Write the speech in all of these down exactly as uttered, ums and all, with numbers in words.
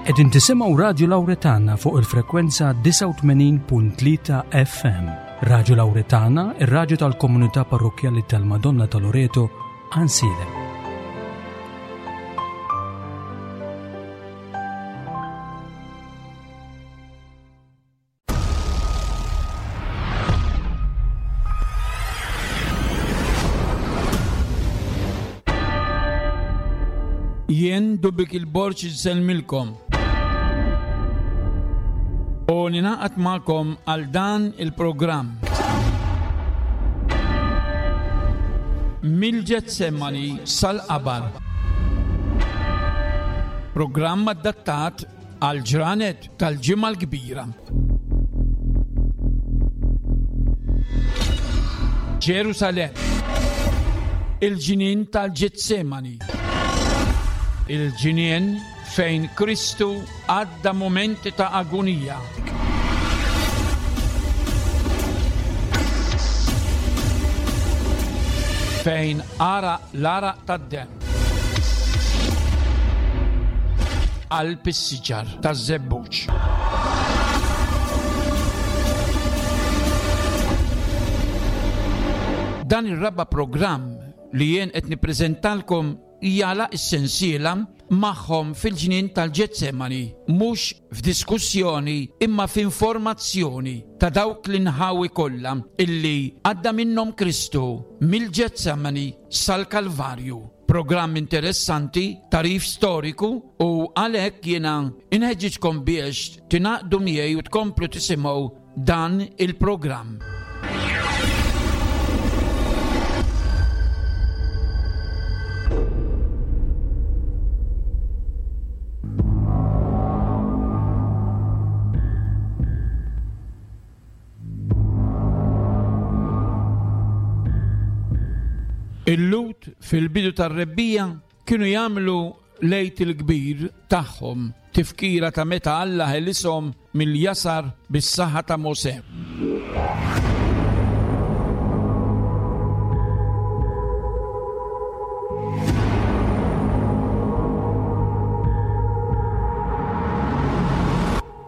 Qegħdin tisimgħu Radju Lawretana fuq il-frekwenza disgħa u tmenin punt tlieta F M. Radju Lawretana, ir-radju tal-komunità parrokkjali tal-Madonna ta' Loreto, Għajnsielem. Jien Dubik il-Borġ insellmilkom. U ninaqat magħkom għal dan il-programm. Mill-Ġetsemani sal-Qabar. Programm adattat għal ġranet tal-Ġimgħa l-Kbira. Ġerusalem, il-ġnien tal-Ġetsemani. Il-ġnien fejn Kristu għadda momenti ta' agonija. Fejn ara l-għaraq tad-demm. Qalb is-siġar taż-żebbuġ. Dan ir-raba' programm li jien qed nippreżentalkom jala s-sensiela magħhom fil-ġnien tal-Ġetsemani, mhux f'diskussjoni imma f'informazzjoni ta' dawk l-inħawi kollha illi għadda minnhom Kristu mill-Ġetsemani sal-Kalvarju. Programm interessanti, tarif storiku, u għalhekk jiena inħeġġiġkom biex tingħaqdu miegħi u tkomplu tisimgħu dan il-programm. Il-Lhud fil-bidu tar-rebbija kienu jagħmlu l-Għid il-Kbir tagħhom, tifkira ta' meta Alla ħelishom mill-jasar bis-saħħa ta' Mosè.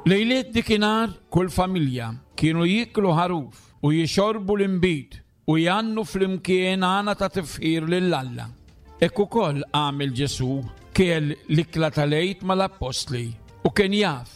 Lejliet dikinhar kull familja kienu jiklu ħaruf u jixorbu l-inbid u jgħannu flimkien għana ta' tifħir lil Alla. Hekk ukoll għamel Ġesù, kiel l-ikla tal-Għid mal-appostli u kien jaf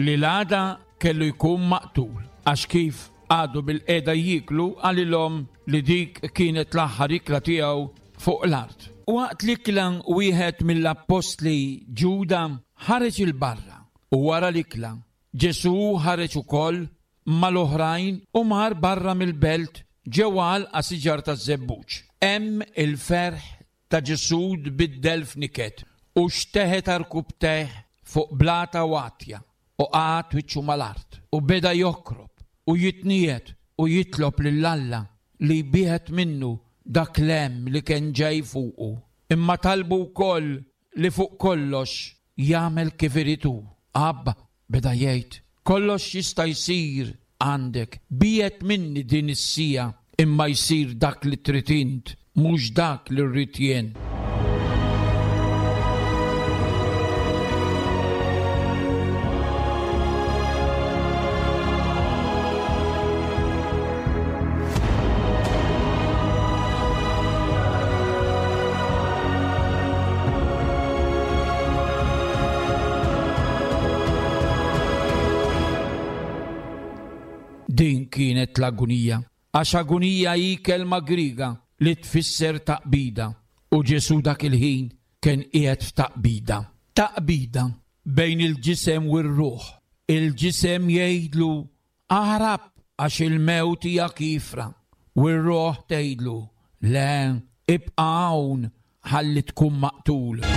li l-għada kellu jkun maqtul, għax kif għadu bil-qeda jiklu qalilhom li dik kienet l-aħħar ikla tiegħu fuq l-art. Waqt l-ikla wieħed mill-appostli Ġuda ħareġ il-barra u wara l-ikla Ġesù ħareġ ukoll mal-oħrajn u mar barra mill-belt ġewwa għalqa siġar taż-żebbuġ. Hemm il-ferħ ta' Ġesù tbiddel f'niket u xteħet għarkupptejh fuq blata watja u qagħad wiċċu mal-art u beda jokrob u jitniet u jitlob lil Alla li jbieħed minnu dak l-hemm li kien ġej fuqu. Imma talbu wkoll li fuq kollox jagħmel kif irid hu. Abba, beda jgħid, kollox jista' jsir għandek, biet minni din is-sija, imma jsir dak li trid int, mhux dak li rrid jien. Din kienet l-agunija, għax agunija hi kelma Griega li tfisser taqbida, u Ġesù dak il-ħin kien qiegħed f'taqbida. Taqbida bejn il-ġisem u r-ruħ. Il-ġisem jgħidlu aħrab għax il-mewt hija kifra, u r-ruħ tgħidlu le, ibqa' hawn ħalli tkun maqtul.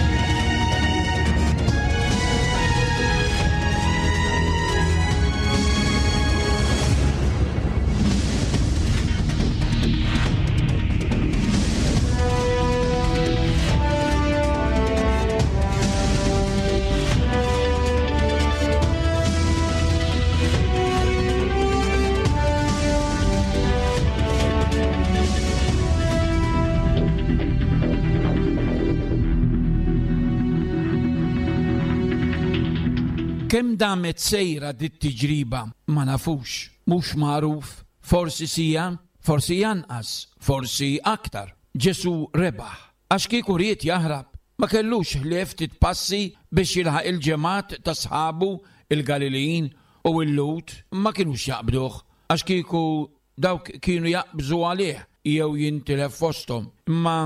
Kemm damet sejra dit-tiġriba ma nafux, mhux magħruf, forsi sija, forsi janqas, forsi aktar. Ġesù rebaħ, għax kieku ried jaħrab, ma kellux ħlief ftit passi biex jilħaq il-ġemgħat ta' sħabu il-Galilin u l-Lhud ma kinux jaqbduh, għax kieku dawk kienu jaqbżu għalih jew jintilef fosthom. Imma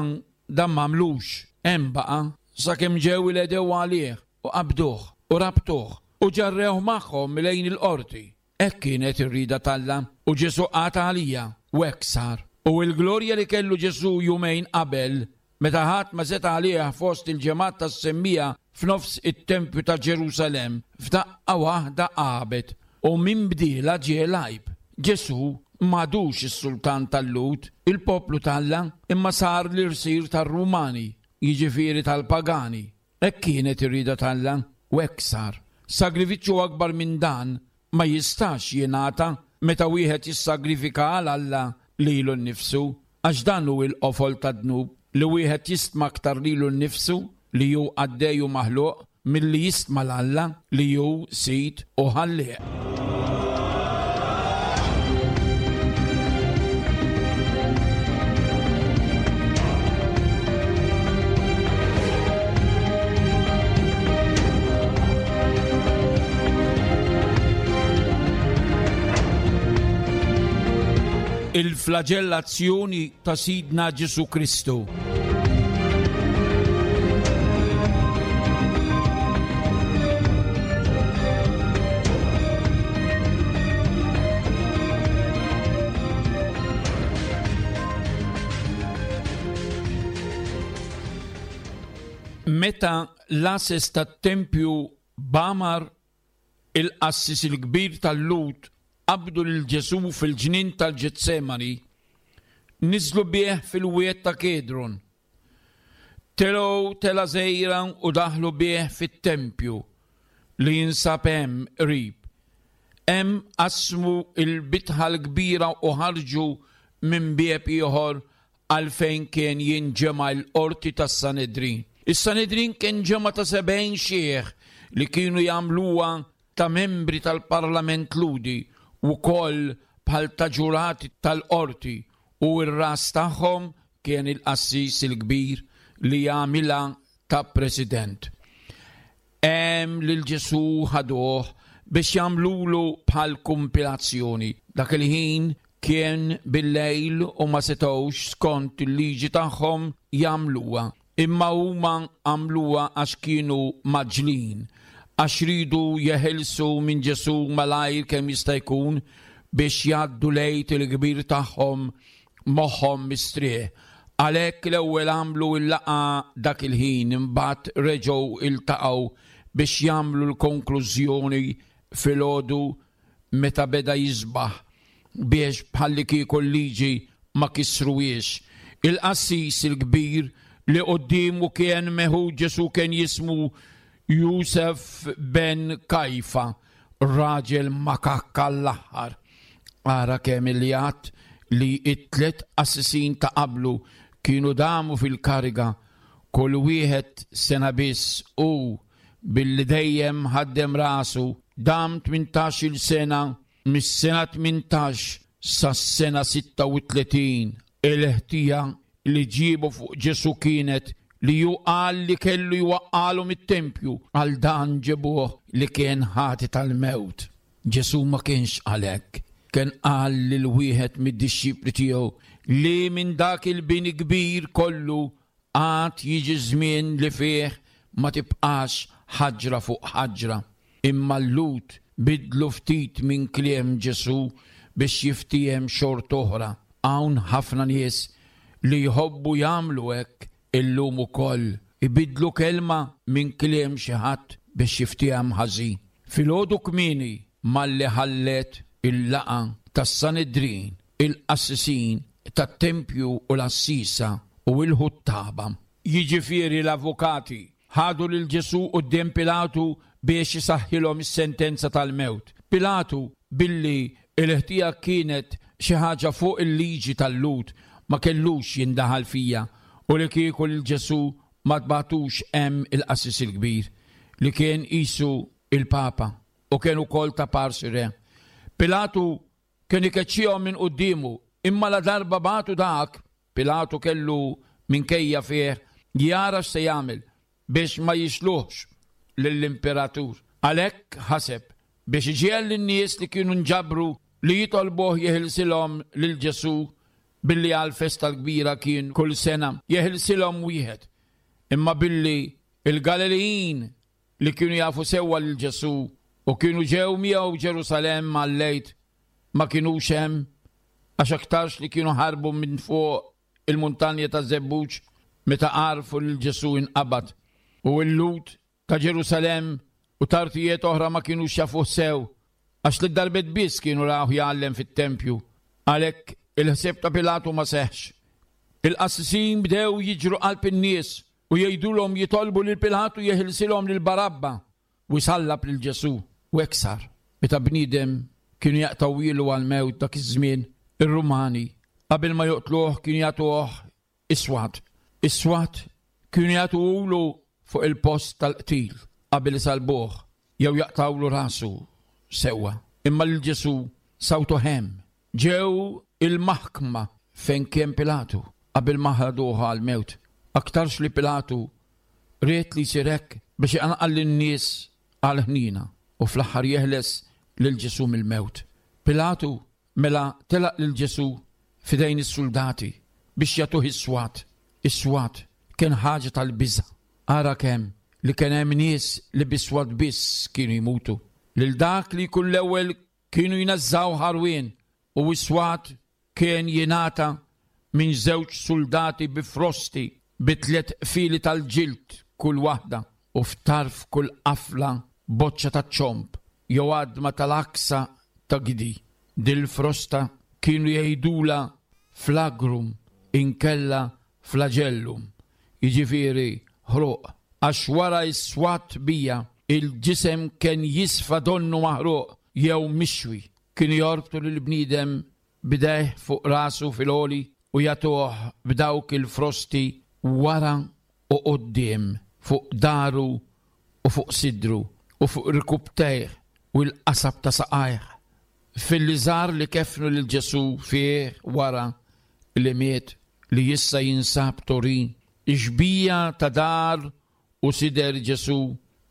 dan m'għamlux, hemm baqa' sakemm ġew il-għedew għalih u qabduh u rabtuh u ġarrew magħhom lejn il-qorti. Hekk kienet ir-rieda t'Alla u Ġesù qata' għalija u hekk sar. U l-glorja li kellu Ġesù jumejn qabel, meta ħadd ma seta' għalih fost il-ġemgħat tas-semmija f'nofs it-tempju ta' Ġerusalemm, f'daqqa waħda għabet u minn bdiela ġie l-għajb. Ġesù m'għadux is-sultan tal-Lhud, il-poplu t'Alla, imma sar l-irsir tar-Rumani, jiġifieri tal-pagani. Hekk kienet ir-rieda t'Alla u hekk sar. Sagrifiċċju akbar minn dan ma jistax jingħata meta wieħed jissagrifika għal Alla lilu nnifsu, għax dan hu l-qofol tad-dnub, li wieħed jistma aktar lilu nnifsu li hu qaddej u maħluq milli jistma 'l Alla li hu sid u ħallieq. Il-flagellazzjoni ta' Sidna Ġesù Kristu. Meta l-għases tat-tempju b'Amar il-qassis il-kbir tal-Lhud qabdu lil Ġesù fil-ġnien tal-Ġetsemani, niżlu bih fil-wied ta' Kedron. Telgħu tela żgħira u daħlu bih fit-tempju li jinsab hemm qrib. Hemm qasmu l-bitħa l-kbira u ħarġu minn bieb ieħor għal fejn kien jinġema' l-qorti tas-Sanedrin. Is-Sanedrin kien ġemgħa ta' sebgħin xiħ li kienu jagħmluha ta' membri tal-Parlament Lhudi u wkoll bħal ta' ġurati tal-qorti, u r-ras tagħhom kien il-qassis il-kbir li jagħmilha ta' president. Hemm lil Ġesù ħaduh biex jagħmlulu bħal kumpilazzjoni. Dak il-ħin kien bil-lejl u ma setgħux skont il-liġi tagħhom jagħmluha, imma huma għamluha għax kienu maġlin, għax ridu jeħilsu minn Ġesù malajr kemm jista' jkun biex jgħaddu l-Għid il-kbir tagħhom moħħhom mistrieħ. Għalhekk l-ewwel għamlu l-laqgħa dak il-ħin, imbagħad reġgħu iltaqgħu biex jagħmlu l-konklużjoni filgħodu meta beda jisbaħ, biex bħallikieku l-liġi ma kisruhiex. Il-qassis il-kbir li quddiemu kien meħud Ġesù kien jismu Jusef ben Kajfa, raġel makakka l-aħħar. Ara kemm il-jat li it-tliet qassisin ta' qablu kienu damu fil-kariga, kull wieħed sena biss, u billi dejjem ħaddem rasu dam tmintax-il sena, mis-sena tmintax sas-sena sitta u tletin. Il-ħtija li ġiebu fuq Ġesù kienet li ju qal li kellu jwaqqalu mit-tempju, għal dan ġebuh li kien ħati tal-mewt. Ġesù ma kienx għalhekk, kien qal lil wieħed mid-dixxipli tiegħu li minn dak il-bini kbir kollu għad jiġi żmien li fih ma tibqax ħaġra fuq ħaġra. Imma l-Lhud bidlu ftit minn kliem Ġesù biex jiftiehem xort oħra. Hawn ħafna nies li jħobbu jagħmlu hekk illum ukoll, ibidlu kelma minn kliem xi ħadd biex jiftiehem ħażin. Filgħodu kmieni malli ħallet il-laqgħa tas-Sanedrin, il-qassisin tat-tempju u l-assisa u l-ħuttaba, jiġifieri l-avukati, ħadu lil Ġesù quddiem Pilatu biex isaħħilhom is-sentenza tal-mewt. Pilatu, billi l-ħtija kienet xi ħaġa fuq il-liġi tal-Lhud, ma kellux jindaħal fija, u li kieku lil Ġesù ma tbatux hemm il-qassis il-kbir li kien qisu il-Papa u kien ukoll ta' parsi re. Pilatu kien ikeċċihom minn quddiemu, imma la darba bagħtu dak, Pilatu kellu minkejja fih jara x'se jagħmel biex ma jixluħx lill-imperatur. Għalhekk ħaseb biex iġiegħel lin-nies li kienu nġabru li jitolbuh jeħilsilhom lil Ġesù billi għall-festa l-kbira kien kull sena jeħilsilhom wieħed. Imma billi il-Galilijin li kienu jafu sewwa lil Ġesù u kienu ġew miegħu Ġerusalemm għal-lejt ma kinux hemm għax aktarx li kienu ħarbu minn fuq il-muntanja ta' Żebbuġ meta għarfu lil Ġesù inqabad. U l-Lhud ta' Ġerusalemm u tartijiet oħra ma kinux jafuh sew għax li darbet biss kienu rawh jgħallem fit-tempju. Għalhekk il-ħsieb ta' Pilatu ma seħx. Il-qassisin bdew jiġru qalb in-nies u jgħidulhom jitolbu lil Pilatu jeħilsilhom lil Barabba u jsallab lil Ġesù. U hekk sar. Meta bniedem kienu jaqtgħu għall-mewt dak iż-żmien, ir-Rumani qabel ma joqtluh kienu jagħtuh is-swat. Is-swat kienu jagħtuhulu fuq il-post tal-qtil qabel isalbuh jew jaqtgħulu rasu sewwa. Imma lil Ġesù sawtu hemm. Ġew il-maħkma fejn kien Pilatu qabel ma ħaduh għall-mewt. Aktarx li Pilatu ried li jsir hekk biex iqanqal lin-nies għal ħnina u fl-aħħar jeħles lil Ġesù mill-mewt. Pilatu mela telaq lil Ġesù f'idejn is-soldati biex jagħtuh is-swat. Is-swat kien ħaġa tal-biża'. Ara kemm li kien hemm nies li bis-swat biss kienu jmutu. Lil dak li jkun l-ewwel kienu jnażżaw ħarwien u s-swat kien jingħata minn żewġ soldati bi frosti bi tliet fili tal-ġild kull waħda u f'tarf kull qafla boċċa ta' ċomb jew għadma tal-aksa ta' gidi. Dil-frosta kienu jgħidula flagrum inkella flagellum, jiġifieri ħruq, għax wara s-swat bija il-ġisem kien jisfa donnu maħruq jew mixwi. Kienu jorbtu lill-bniedem b'idejh fuq rasu fil-għoli u jagħtuh b'dawk il-frosti wara u quddiem fuq daru u fuq sidru u fuq rkubtejh u l-qasab ta' saqajh. Fil-liżar li kefnu lil Ġesù fih wara li miet li issa jinsab Turin, ix-xbieha ta' dar u sider Ġesù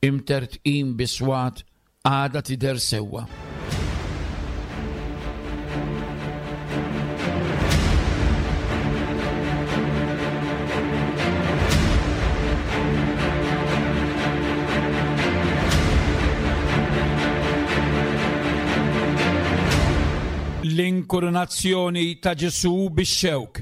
imtertqin biswat għadha tidher sewwa. L-inkoronazzjoni ta' Ġesù bix-xewk.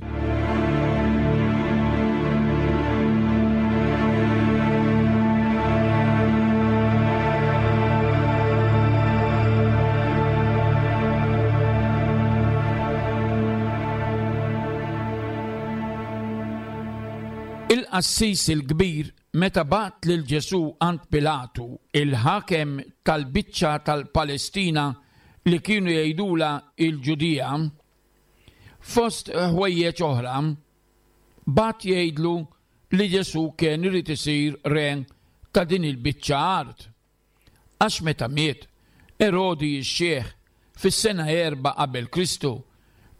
Il-qassis il-kbir meta bagħat lil Ġesù għand Pilatu, il-ħakem tal-biċċa tal-Palestina li kienu jgħidula il-Ġudija, fost ħwejjeġ oħra, bagħat jgħidlu li Ġesù kien irid isir re ta' din il-biċċa art. Għax meta miet Erodi x-xiħ fis-sena erba' qabel Kristu,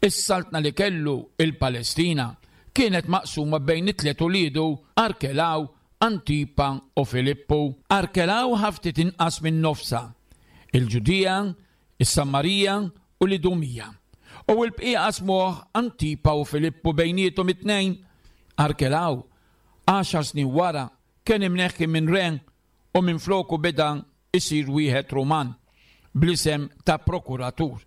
is-saltna li kellu il-Palestina kienet maqsuma bejn it-tliet uliedu Arkelaw, Antipa u Filippu. Arkelaw ħaftit inqas minn nofsa, il-Ġudija, is-Samarija u l-Idumija. U l-bqija qasmuh Antipa u Filippu bejniethom it-tnejn. Arkelaw, għaxar snin wara, kien imneħħi minn re u minn floku beda isir wieħed Ruman bl-isem ta' prokuratur.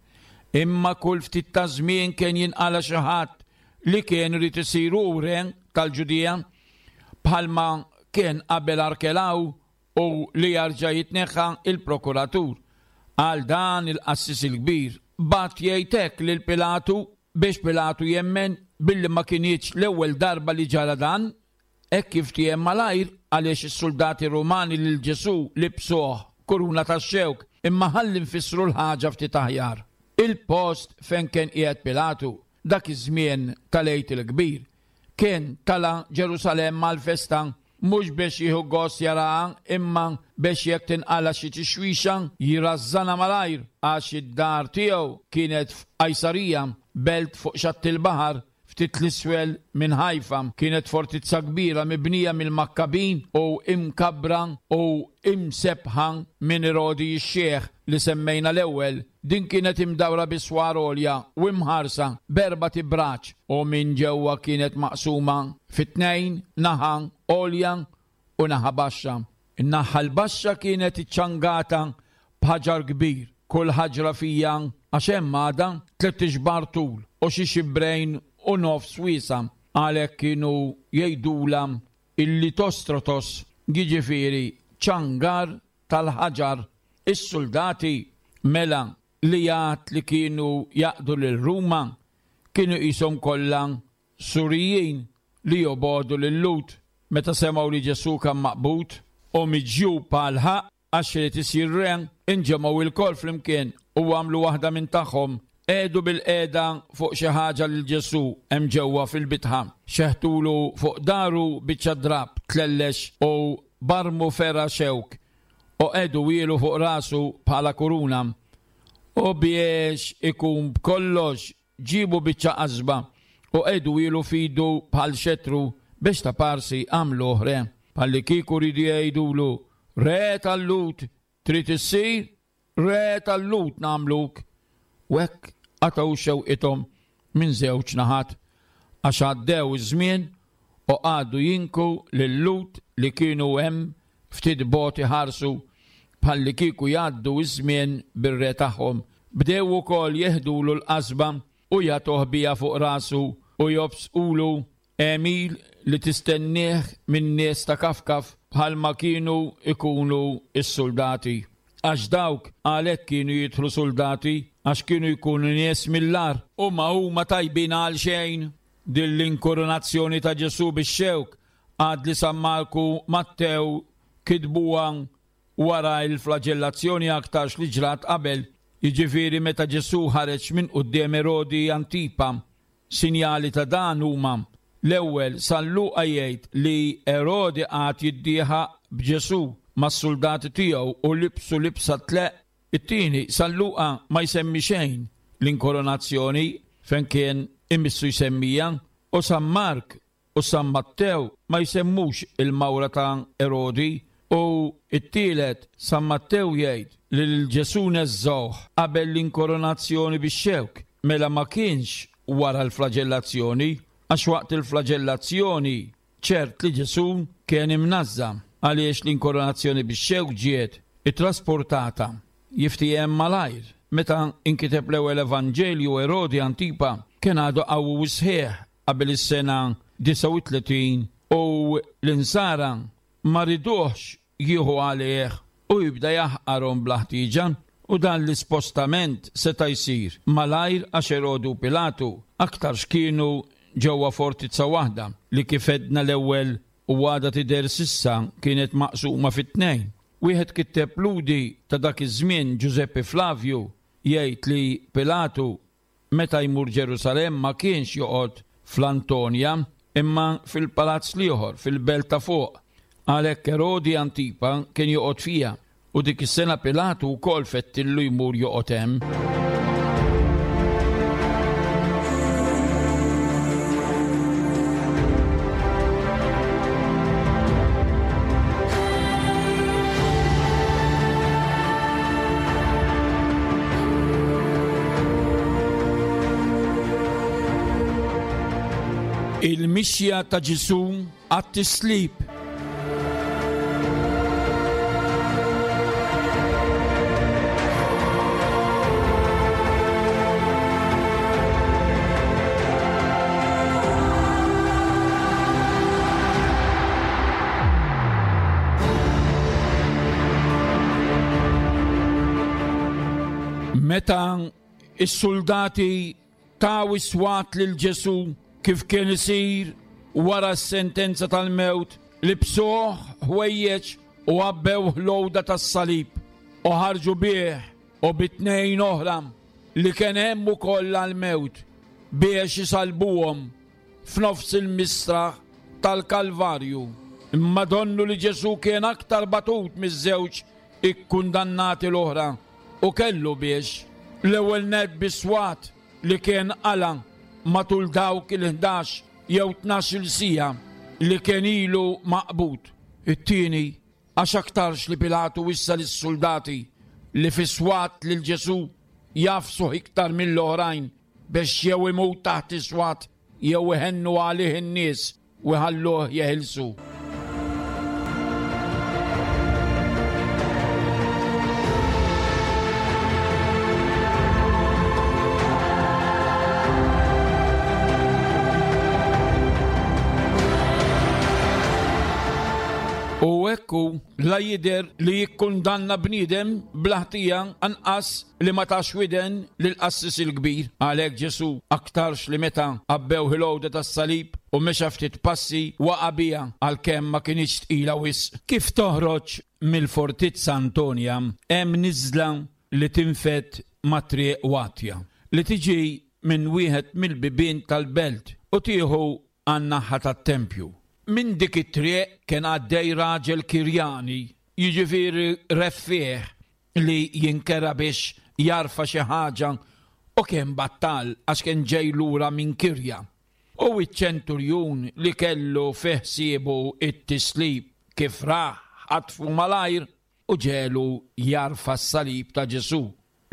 Imma kull ftit ta' żmien kien jinqala xi ħadd li kien irid isir hu re tal-Ġudija bħalma kien qabel Arkelaw u li jarġa' jitneħħa il-prokuratur. Għal dan il-qassis il-kbir bagħat jgħid hekk lil Pilatu biex Pilatu jemmen billi ma kinitx l-ewwel darba li ġara dan, hekk kif tiem malajr għaliex is-soldati Rumani lil Ġesù libsuh kuruna tax-xewk, imma ħalli nfissru l-ħaġa ftit aħjar. Il-post fejn kien qiegħed Pilatu dak iż-żmien tal-Għid il-Kbir kien tala' Ġerusalemm għall-festa mhux biex jieħu gost jaraha, imma biex jekk tinqala xi tixwixa jirażżanha malajr, għax id-dar tiegħu kienet f'Qajsarija, belt fuq xatt il-baħar, ftit l-isfel minn Ħajfa. Kienet fortizza kbira mibnija mill-Makkabin u imkabbra u imsebħa minn Erodi x-Xiħ li semmejna l-ewwel. Din kienet imdawra bi swar għolja u imħarsa b'erbat ibraġ, u minn ġewwa kienet maqsuma fi tnejn, naħa għolja u naħa baxxa. In-naħa l-baxxa kienet iċċangata b'ħaġar kbir, kull ħaġra fija għax hemm għadha tliet ixbar tul u xi xibrejn u nofs wiesa. Għalhekk kienu jgħidulha il-Litostrotos, jiġifieri ċangar tal-ħaġar. Is-soldati mela li jgħad li kienu jaqdu lil Ruma kienu qishom kollha Surijin li jobogħdu lil Lut. Meta semgħu li Ġesù kien maqbud u miġjub għal ħaqq għax irid isir re, inġemgħu ilkoll flimkien u għamlu waħda minn tagħhom. Qegħdu bil-qiegħda fuq xi ħaġa lil Ġesù hemm ġewwa fil-bitħa. Xeħtulu fuq daru biċċa drab tlellex u barmu ferra xewk u qegħdu wielu fuq rasu bħala kuruna. U biex ikun b'kollox ġibu biċċa qasba u qegħdu wielu fidu bħal xetru biex ta' parsi għamluh re. Bħalli kieku riedu jgħidulu, re tal-Lhud trid issir, re tal-Lhud nagħmluk. U hekk qatgħu xewqithom minn żewġ naħat, għax għaddew iż-żmien u qagħdu jinku lil-Lhud li kienu hemm ftit bogħod iħarsu bħalli kieku jgħaddu iż-żmien bir-re tagħhom. Bdew ukoll jeħdulu l-qasba u jagħtuh biha fuq rasu u jobsqulu għemil li tistennieh minn nies ta' kafkaf bħalma kienu ikunu s-soldati. Għax dawk għalhekk kienu jidħlu soldati, għax kienu jkunu nies mill-agħar u ma huma tajbin għal xejn. Din l-inkoronazzjoni ta' Ġesù bix-xewk għad li San Marku Mattew kitbuha wara l-flagellazzjoni aktarx li ġrat qabel, jiġifieri meta Ġesù ħareġ minn quddiem Erodi Antipa. Sinjali ta' dan huma: l-ewwel, San Luqa jgħid li Erodi qagħad jiddieħaq b'Ġesù mas-soldati tiegħu u libsu libsa tleq. It-tieni, San Luqa ma jsemmi xejn l-inkoronazzjoni fejn kien imissu jsemmija, u San Mark u San Mattew ma jsemmux il-mawra ta' Erodi. U it-tielet, San Mattew jgħid li lil Ġesù neżżgħuh qabel l-inkoronazzjoni bix-xewk, mela ma kienx wara l-flagellazzjoni, għax waqt il-flagellazzjoni ċert li Ġesù kien imnażża, għaliex l-inkoronazzjoni bix-xewk ġiet ittrasportata jiftiehem malajr. Meta inkiteb l-ewwel Evanġelju, Erodi Antipa kien għadu qawwi u sħiħ qabel is-sena disgħa u tletin, u l-insara ma riduhx jieħu għalih u jibda jaħqarhom bla ħtieġa, u dan l-ispostament seta' jsir malajr għax Erodu u Pilatu aktarx kienu ġewwa fortizza waħda li kif għedna l-ewwel u għadha tidher s'issa kienet maqsuma fit-tnejn. Wieħed kitteb Ludi ta' dak iż-żmien, Giuseppe Flavio, jgħid li Pilatu meta jmur Ġerusalemm ma kienx joqgħod fl-Antonja imma fil-palazz l-ieħor fil-belt ta' fuq. Għalhekk Erodi Antipa kien joqgħod fiha, u dik is-sena Pilatu wkoll fettillu jmur joqgħod hemm. Il-mixja ta' Ġesù għat-tislib. Meta is-soldati taw is-swat lil Ġesù kif kien isir wara s-sentenza tal-mewt, libsuh ħwejjeġ u għabbew l-għoda tas-salib u ħarġu bih u bi tnejn oħra li kien hemm ukoll għall-mewt biex isalbuhom f'nofs il-mistraħ tal-Kalvarju. Imma donnu li Ġesù kien aktar batut miż-żewġ ikkundannati l-oħra u kellu biex l-ewwel nett bis-swat li kien qala matul dawk il-ħdax jew tnax-il siegħa li kien ilu maqbud. It-tieni għax aktarx li Pilatu wissa lis-soldati li fis-swat lil Ġesù jafsuh iktar mill-oħrajn biex jew imut taħt is-swat jew iħennu għalih in-nies u jħalluh jeħilsu. U ekku la jidher li jikkundanna bniedem bla ħtija anqas li ma tax widen lill-qassis il-kbir. Għalhekk Ġesù aktarx li meta għabbew il-għoda tas-salib u mexa ftit passi waqa' biha għalkemm ma kinitx tqila wisq. Kif toħroġ mill-Fortizza Antonia hemm niżla li tinfed ma' triq watja li tiġi minn wieħed mill-bibien tal-belt u tieħu għan-naħa tat-tempju. Minn dik it-triq kien għaddej raġel Kirjani, jiġifieri reffieh li jinkera biex jarfa xi ħaġa u kien battal għax kien ġej lura minn Kirja. U iċ-ċenturjun li kellu fi ħsiebu it-tislib kif raħ ħatfu malajr u ġelu jarfa s-salib ta' Ġesù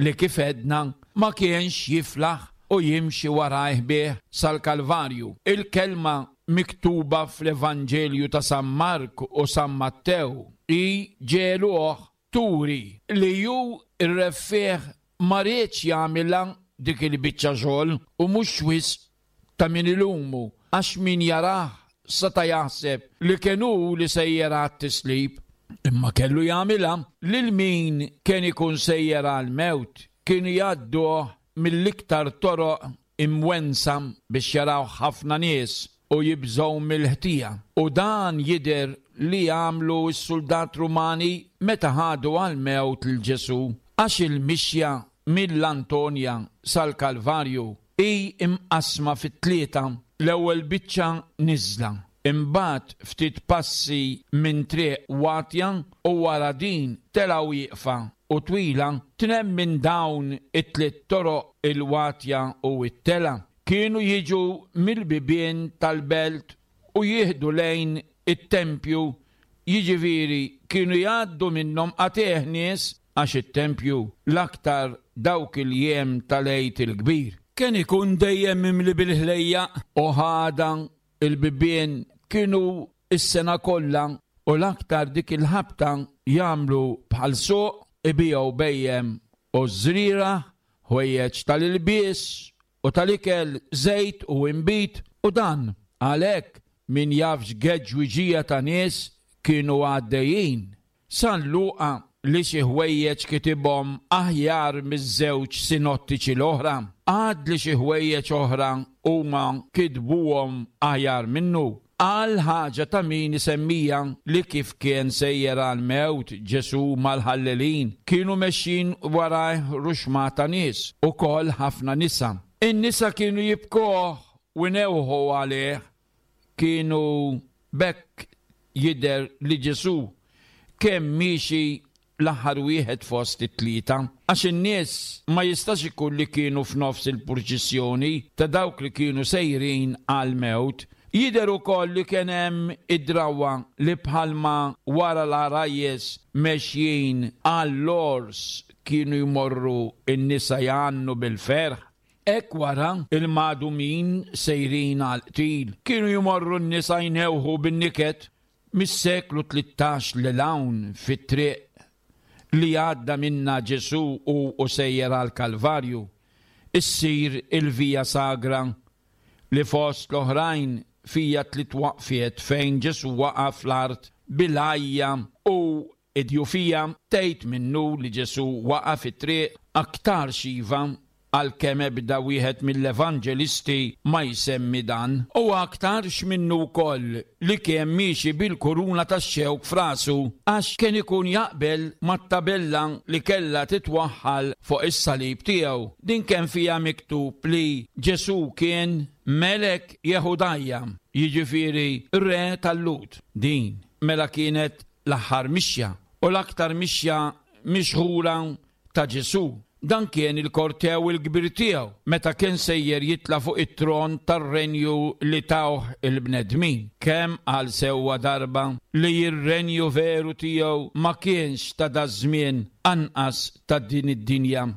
li kif għedna ma kienx jiflaħ u jimxi warajh bih sal-Kalvarju. Il-kelma miktuba fl-Evanġelju ta' San Mark u San Mattew hi ġeluh turi li ju ir-reffieh ma riedx jagħmilha dik il-biċċa xogħol u mhux wisq ta' min ilumu għax min jarah seta' jaħseb li kien hu li sejjer għat-tislib. Imma kellu jagħmilha lil min kien ikun sejjer għall-mewt kienu jgħadduh mill-iktar toroq imwensa biex jaraw ħafna nies u jibżgħu mill-ħtija. U dan jidher li għamlu s-soldat Rumani meta ħadu għall-mewt lil Ġesù, għax il-mixja mill-Antonia sal-Kalvarju hi imqasma fit-tlieta. L-ewwel biċċa niżla, imbagħad ftit passi minn triq watja u wara din telgħu wieqfa u twila. Tnejn minn dawn it-tliet toroq il-watja u t-tela kienu jiġu mill-bibien tal-belt u jieħdu lejn it-tempju, jiġifieri kienu jgħaddu minnhom qatigħ nies għax it-tempju l-aktar dawk il-jiem tal-Għid il-Kbir kien ikun dejjem mimli bil-ħlejjaq u ħada il-bibien kienu is-sena kollha u l-aktar dik il-ħabta jagħmlu bħal suq ibigħu bejjem u żrira, ħwejjeġ tal-ilbies u tal-ikel, żejt u inbid u dan. Għalhekk min jafx geġwiġija ta' nies kienu għaddejjin. San Luqa li xi ħwejjeġ kitibhom aħjar miż-żewġ sinottiċi l-oħra, għad li xi ħwejjeġ oħra huma kitbuhom aħjar minnu. Għal ħaġa ta' min isemmija li kif kien sejjer għall-mewt Ġesù mal-ħallelin kienu mexjin warajh ruxma ta' nies ukoll ħafna nisa. In-nisa kienu jibkuh u jnewħu għalih. Kienu bekk jidher li Ġesù kemm miexi l-aħħar wieħed fost it-tlieta, għax in-nies ma jistax ikun li kienu f'nofs il-purċissjoni ta' dawk li kienu sejrin għall-mewt. Jidher ukoll li kien hemm id-drawwa li bħalma wara l-għarajjes mexjin għall-ors kienu jmorru n-nisa jgħannu bil-ferħ, hekk wara il-madumin sejrin għall-qtil kienu jmorru n-nisa jnewħu bin-niket. Mis-seklu tlettax lil hawn fit-triq li għadda minna Ġesù u u sejjer għall-Kalvarju issir il-Via Sagra li fost l-oħrajn fija tliet waqfiet fejn Ġesù waqaf l-art bil-għajja u id-djufija. Tgħid minnu li Ġesù waqaf it-triq aktar xiva għalkemm ebda wieħed mill-evanġelisti ma jsemmi dan, u aktarx minnu wkoll li kien miexi bil-kuruna tax-xewk f'rasu għax kien ikun jaqbel mat-tabella li kellha titwaħħal fuq is-salib tiegħu. Din kien fiha miktub li Ġesù kien Melek Jehudajja, jiġifieri re tal-Lhud. Din mela kienet l-aħħar mixja u l-aktar mixja mixħura ta' Ġesù. Dan kien il-kortew il-kbir tiegħu meta kien sejjer jitla' fuq it-tron tar-renju li tawh il-bnedmin. Kemm għal sewwa darba li r-renju veru tiegħu ma kienx ta' daż-żmien anqas ta' din id-dinja.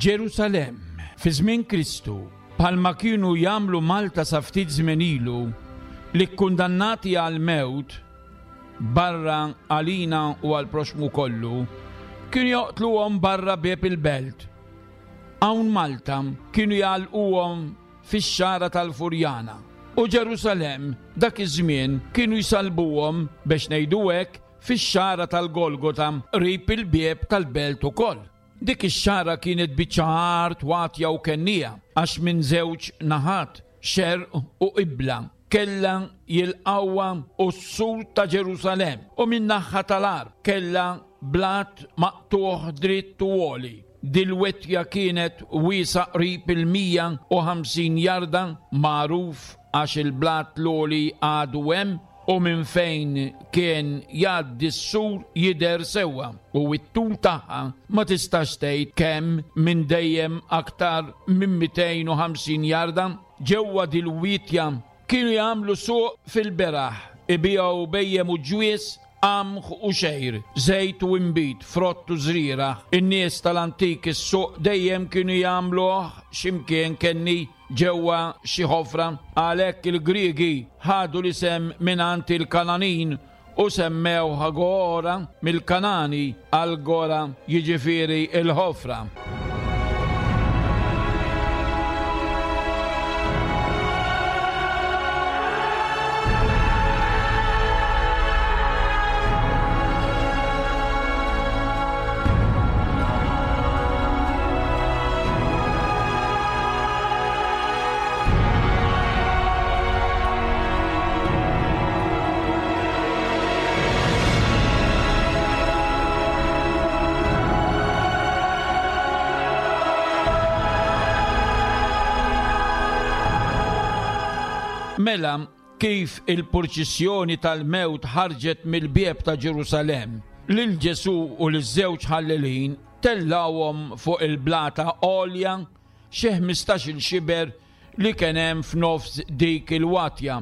Ġerusalemm, fi żmien Kristu, bħalma kienu jagħmlu Malta sa ftit żmien ilu, li kkundannati għall-mewt barra għalina u għall-proxmu kollu, kienu joqtluhom barra bieb il-belt. Hawn Malta kienu jgħalquhom fix-xagħra tal-Furjana. U Ġerusalemm dak iż-żmien kienu jsalbuhom biex ngħidu hekk fix-xagħra tal-Golgota qrib il-bieb tal-belt ukoll. Dik ix-xagħra kienet biċċa art watja u kennija għax minn żewġ naħat, xerq u qibla, kellha jilqawha u s-sur ta' Ġerusalemm u minn naħa tal-art kellha blat maqtuħ dritt u għoli. Dil-wetja kienet wiesa qrib il-mija u ħamsin jarda, magħruf għax il-blat l-għoli għadu hemm u minn fejn kien jgħaddi s-sur jidher sewwa u t-tul tagħha ma tistax tgħid kemm minn dejjem aktar minn mitejn u ħamsin jarda. Ġewwa dil-witja kienu jagħmlu suq fil-beraħ, ibigħu bejjem u ġwies, qamħ u xejr, żejt u imbid, frott u żrieragħ. In-nies tal-antik is-suq dejjem kienu jagħmluh x'imkien kenni ġewwa xi ħofra, għalhekk il-Griegi ħadu l-isem mingħand il-Kananin u semmew Agora mill-Kanani għal-Gora, jiġifieri il-ħofra. Mela, kif il-purċissjoni tal-mewt ħarġet mill-bieb ta' Ġerusalemm, lil Ġesù u liż-żewġ ħallelin tellawhom fuq il-blata għolja xi ħmistax-il xiber li kien hemm f'nofs dik il-watja.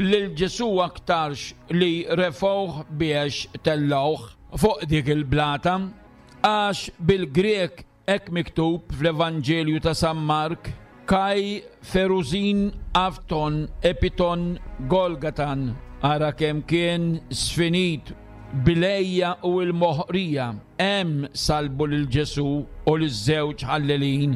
Lil Ġesù aktarx li refgħuh biex tellawh fuq dik il-blata, għax bil-Grek hekk miktub fl-Evanġelju ta' San Mark, Kai Feruzin Afton Epiton Golgatan, ara kemm kien sfinit bilejja u l-moħqrija, hemm salbu lil Ġesù u liż-żewġ ħallelin.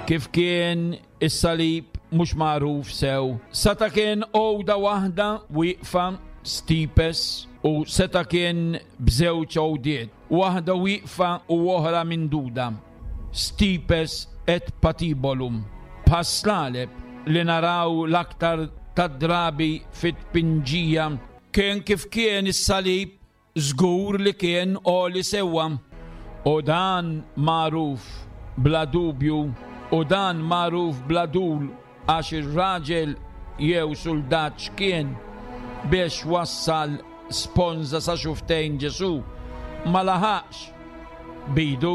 Kif kien is-salib mhux magħruf sew, seta kien għoda waħda wieqfa stipes u seta kien b'żewġ għodiet, waħda wieqfa u oħra minduda, stipes et patibolum, bħas-slaleb li naraw l-aktar tad-drabi fit-tpinġija. Kien kif kien is-salib żgur li kien għoli sewwa, u dan magħruf bla dubju, u dan magħruf bla dul, għax ir-raġel jew suldat x'kien biex wassal sponża sa xuftejn Ġesù, ma laħaqx bidu,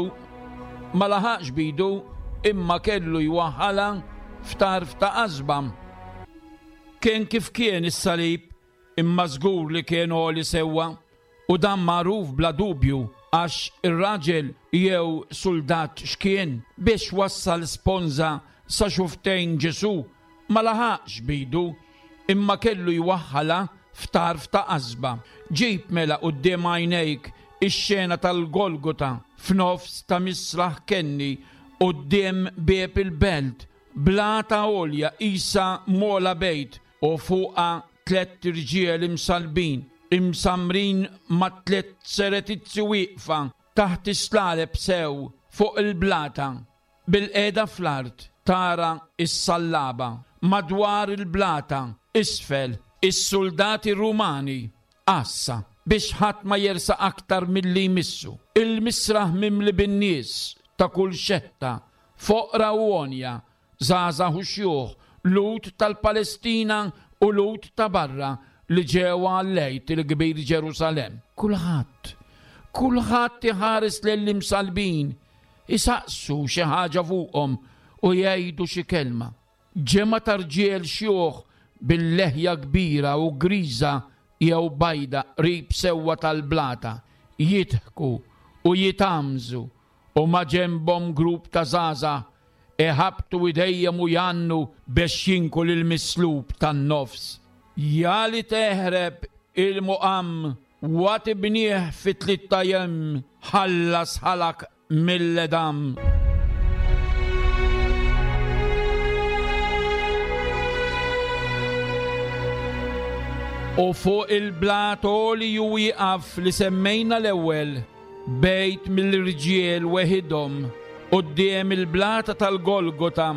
ma laħaqx bidu, imma kellu jwaħħalha f'tarf ta' qasba. Kien kif kien is-salib, imma żgur li kien għoli sewwa, u dan magħruf bla dubju Għax ir-raġel jew suldat x'kien biex wassal sponża sa xuftejn Ġesù ma laħaqx bidu, imma kellu jwaħħalha f'tarf ta' qasba. Ġib mela quddiem għajnejk ix-xena tal-Golgota f'nofs ta' misraħ kenni quddiem bieb il-belt, blata għolja isa mola bejt u fuqha tliet irġiel imsalbin, imsamrin ma' tliet seretizzi wieqfa taħt is-slaleb sew fuq il-blata. Bil-qiegħda fl-art tara s-sallaba madwar il-blata isfel is-soldati Rumani għassa biex ħadd ma jersaq aktar milli jmissu. Il-misraħ mimli bin-nies ta' kull xetta, foqra u għonja, żgħażagħ u xjuħ, Lhud tal-Palestina u Lhud ta' barra li ġew għall-Għid il-Kbir Ġerusalemm. Kulħadd, kulħadd iħares lill-imsalbin, isaqsu xi ħaġa fuqhom u jgħidu xi kelma. Ġemgħa ta' rġiel xjuħ bil-leħja kbira u griża jew bajda qrib sewwa tal-blata, jidħku u jitamżu u ma' ġenbhom grupp ta' żgħażagħ iħabbtu idejhom u jgħannu biex jinku lill-mislub tan-nofs. Ja li teħreb il-muqam wa tibnieh fi tliet ijiem, ħallas ħalak mill-edam. U fuq il-blat għoli ju wieqaf li semmejna l-ewwel, bejt mill-irġiel weħidhom quddiem il-blata tal-Golgota.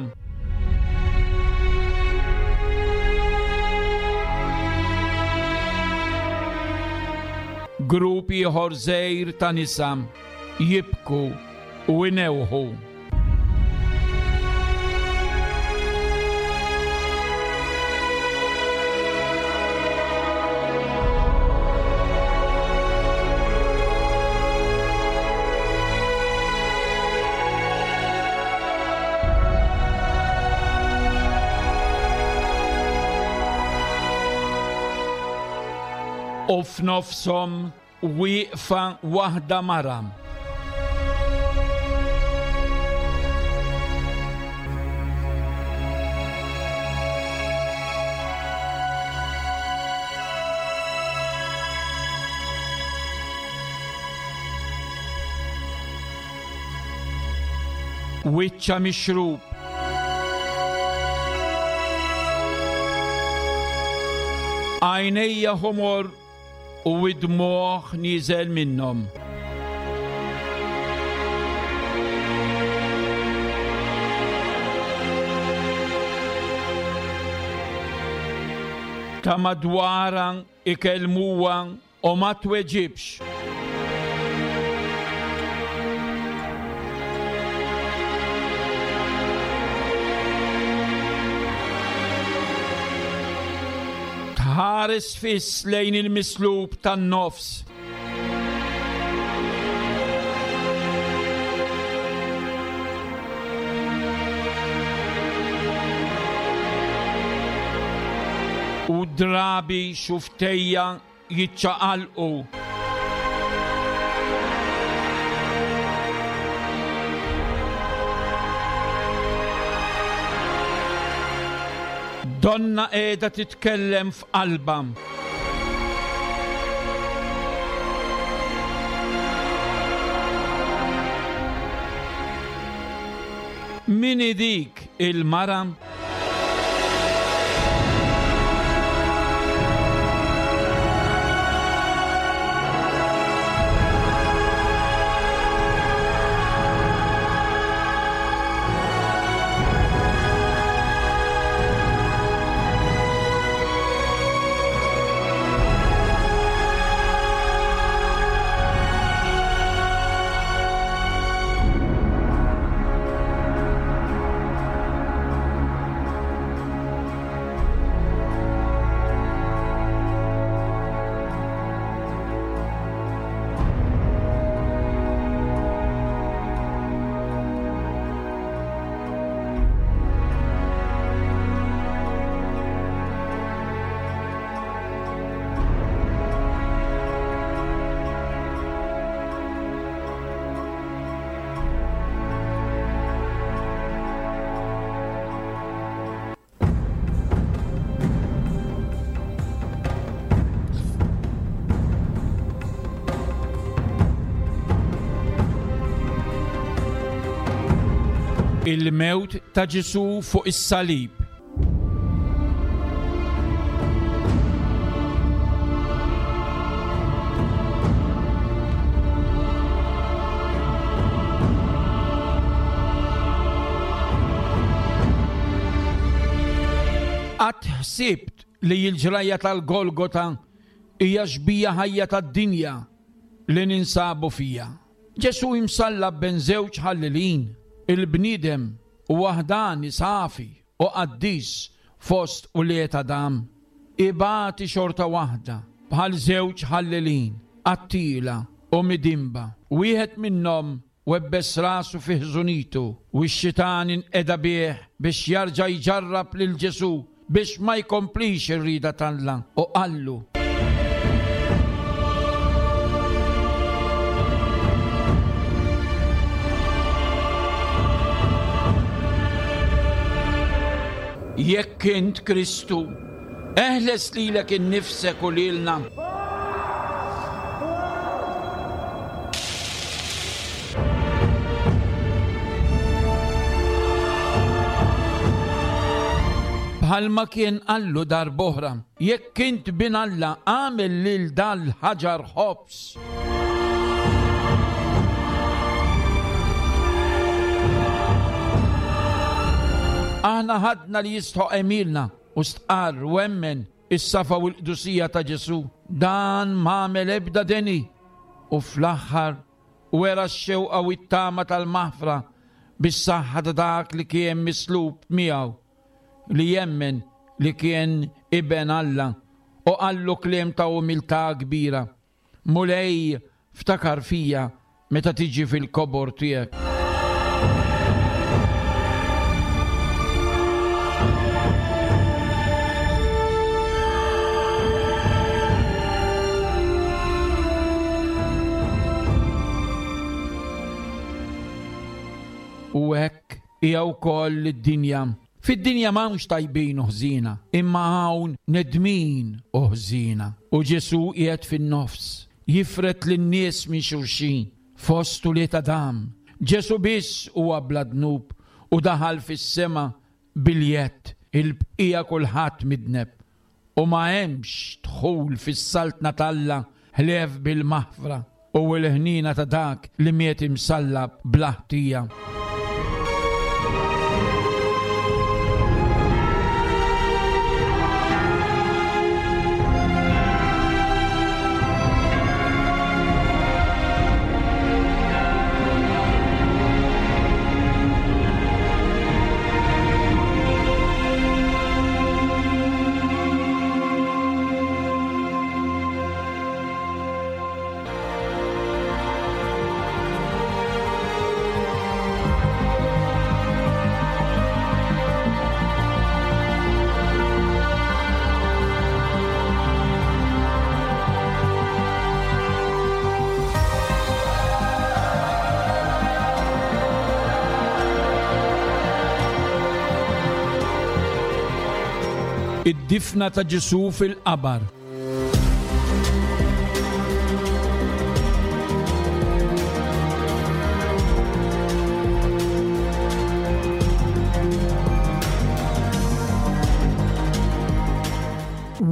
Grupp ieħor żgħir ta' nisa jibku u inewħu. U f'nofshom wieqfa waħda mara. Wiċċa mixrub, għajnejja ħomor u id-dmugħ nieżel minnhom. Ta' madwarha ikellmuha u ma tweġibx. Tħares fiss lejn il-mislub tan-nofs. U drabi xuftejja jiċċaqalqu. Donna qiegħda titkellem f'qalbha. Min hi dik il-mara? Il-mewt ta' Ġesù fuq is-salib. Qatt ħsibt li l-ġrajja tal-Golgota hija xbieha ħajja tad-dinja li ninsabu fija. Ġesù imsallab bejn żewġ ħallelin, il-bniedem u waħdani safi u qaddis fost ulied Adam. Ibati xorta waħda bħal żewġ ħallelin, qattiela u midinba. Wieħed minnhom webbes rasu fi ħżunitu u x-xitan inqeda bih biex jarġa' jġarrab lil Ġesù biex ma jkomplix ir-rieda t'Alla u qallu: Jekk int Kristu, eħles lilek innifsek u lilna. Bħalma kien qallu darb'oħra: Jekk int bin Alla, agħmel lil dal-ħaġar ħobż. Aħna ħadna li jistħoq għemilna u stqarr u emmen is-safa u l-qdusija ta' Ġesù. Dan m'għamel ebda deni u fl-aħħar wera x-xewqa u t-tama tal-maħfra bis-saħħa ta' dak li kien mislub miegħu, li jemmen li kien iben Alla, u qallu kliem ta' umiltà kbira: Mulej, ftakar fija meta tiġi fil-kobor tiegħek. U hekk hija wkoll id-dinja. Fid-dinja m'hawnx tajbin u ħżiena, imma hawn nedmin u ħżiena. U Ġesù qiegħed fin-nofs, jifred lin-nies minn xulxin, fost ulied Adam. Ġesù biss huwa bla dnub u daħal fis-sema biljett, il-bqija kulħadd midneb. U ma hemmx dħul fis-saltna t'Alla ħlief bil-maħfra u l-ħniena ta' dak li miet imsallab bla ħtija. Id-difna ta' Ġesù fil-qabar.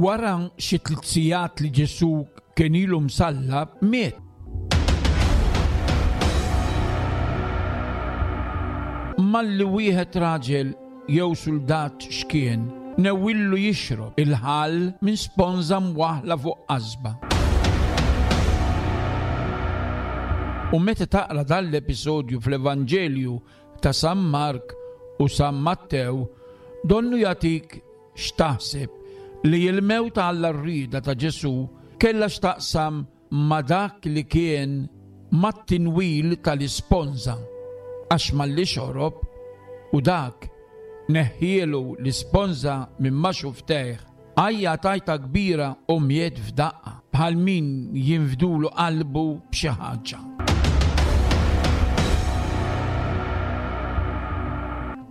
Wara xi tliet sigħat li Ġesù kien ilu msallab, miet. Malli wieħed raġel jew suldat x'kien, newwillu jixrob il-ħall minn sponża mwaħla fuq qasba. U meta taqra dan l-episodju fl-Evanġelju ta' San Mark u San Mattew, donnu jagħtik x'taħseb li l-mewt għal rrieda ta' Ġesù kellha x'taqsam ma' dak li kien mat-tinwil tal-isponża, għax malli xorob u dak neħħielu l-isponża minn ma xuftejh, għajja tajta kbira u miet f'daqqa, bħal min jinfdulu qalbu b'xi ħaġa.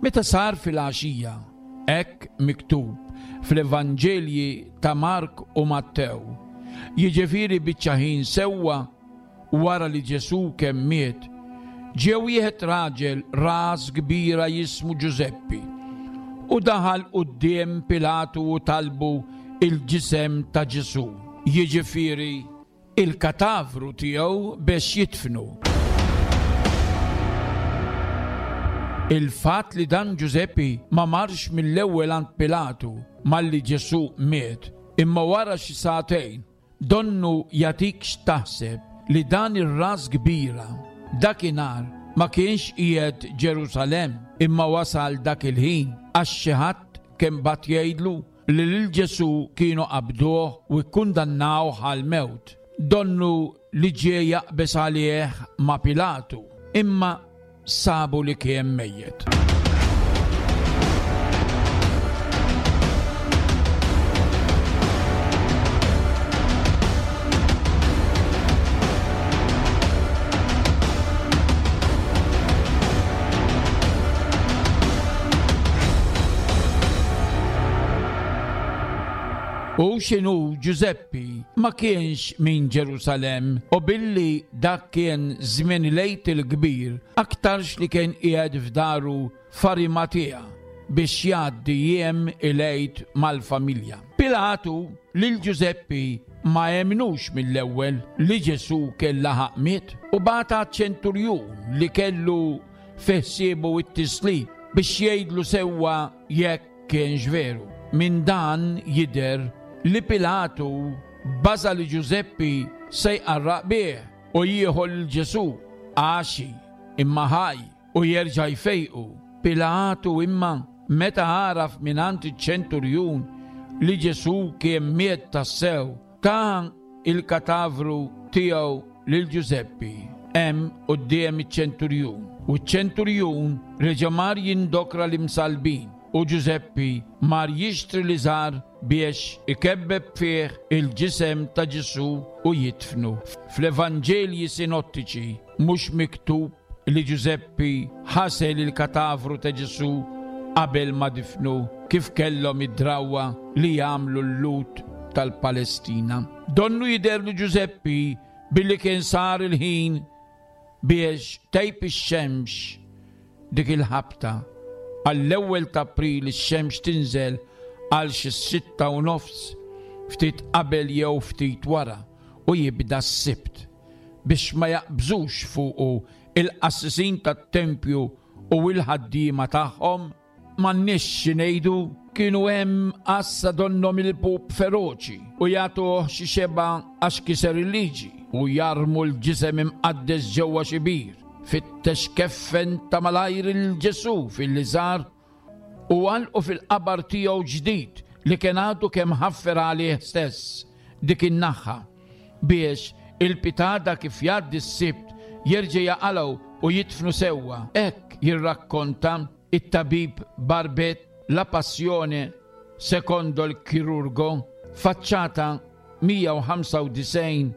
Meta sar fil-għaxija, hekk miktub fl-Evanġelji ta' Mark u Mattew, jiġifieri biċċa ħin sewwa wara li Ġesù kemm miet, Ġie wieħed raġel ras kbira jismu Ġużeppi u daħal quddiem Pilatu u talbu il-ġisem ta' Ġesù, jiġifieri il-katavru tiegħu biex jidfnu. Il-fatt li dan Ġużeppi ma marx mill-ewwel għand Pilatu malli Ġesù miet, imma wara xi sagħtejn, donnu jagħtik x'taħseb li dan ir-ras kbira dakinhar ma kienx qiegħed Ġerusalemm imma wasal dak il-ħin għax xi ħadd kien bagħat jgħidlu li lil Ġesù kienu qabduh u kkundannawh għall-mewt. Donnu li ġie jaqbeż għalih ma' Pilatu, imma sabu li kien mejjet. U x'inhu Ġużeppi ma kienx minn Ġerusalemm u billi dak kien żmien il-Għid il-Kbir, aktarx li kien qiegħed f'daru f'Arimatea biex jgħaddi jiem il-Għid mal-familja. Pilatu lil Ġużeppi ma emnux mill-ewwel li Ġesù kien laħaq miet u bagħat ċenturjun li kellu fi ħsiebu t-tislib biex jgħidlu sewwa jekk kienx veru. Minn dan jidher li Pilatu baża li Ġużeppi se jqarraq bih u jieħu lil Ġesù għaxi imma ħaj u jerġa' jfejqu. Pilatu imma meta għaraf mingħand iċ-ċenturjun li Ġesù kien miet tassew, ta il-katavru tiegħu lil Ġużeppi hemm quddiem iċ-ċenturjun. U ċ-ċenturjun reġa' mar jindokra l-imsalbin u Ġużeppi mar jixtri liżar biex ikebbeb fih il-ġisem ta' Ġesù u jidfnu. Fl-Evanġelji sinottiċi mhux miktub li Ġużeppi ħasel il-katavru ta' Ġesù qabel ma difnu kif kellhom id-drawwa li jagħmlu l-Lhud tal-Palestina. Donnu jidher li Ġużeppi billi kien sar il-ħin biex tgħib ix-xemx dik il-ħabta. Għall-ewwel ta' April ix-xemx tinżel għal xi sitta u nofs ftit qabel jew ftit wara u jibda s-Sibt biex ma jaqbżux fuqu il-qassisin tat-tempju u l-ħaddiema tagħhom. M'għandniex xi ngħidu, kienu hemm għassa donnhom il-pup feroċi u jagħtuh xi xebgħa għax kiser il-liġi u jarmu l-ġisem imqaddes ġewwa xi bir. Fittex keffen ta' malajr il-Ġesù fil-liżar u għalqu fil-qabar tiegħu ġdid li kien għadu kemm ħaffer għalih stess dik in-naħħa biex il-pitada kif jgħaddi s-Sibt jerġa' jaqalgħu u jidfnu sewwa. Hekk jirrakkonta it-tabib Barbet La Passione secondo il Chirurgo, faċċata mija u ħamsa u disgħin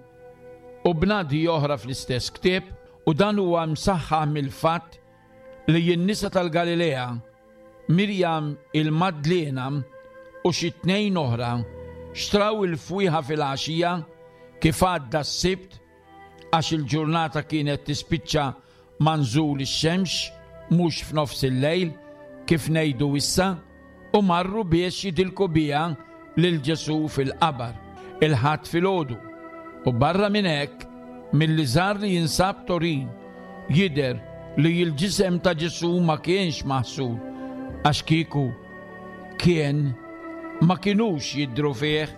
u bnadi oħra fl-istess ktieb, u dan huwa msaħħaħ mill-fatt li n-nisa tal-Galilea, Mirjam il-Madlena u xi tnejn oħra xtraw il-fwieħa fil-għaxija kif għadda s-Sibt għax il-ġurnata kienet tispiċċa ma' nżul ix-xemx mhux f'nofs il-lejl kif ngħidu issa, u marru biex jidilku biha lil Ġesù fil-qabar il-Ħadd filgħodu. U barra minn hekk, mill-liżar li jinsab Torin jidher li l-ġisem ta' Ġesù ma kienx maħsul għax kieku kien ma kinux jidhru fih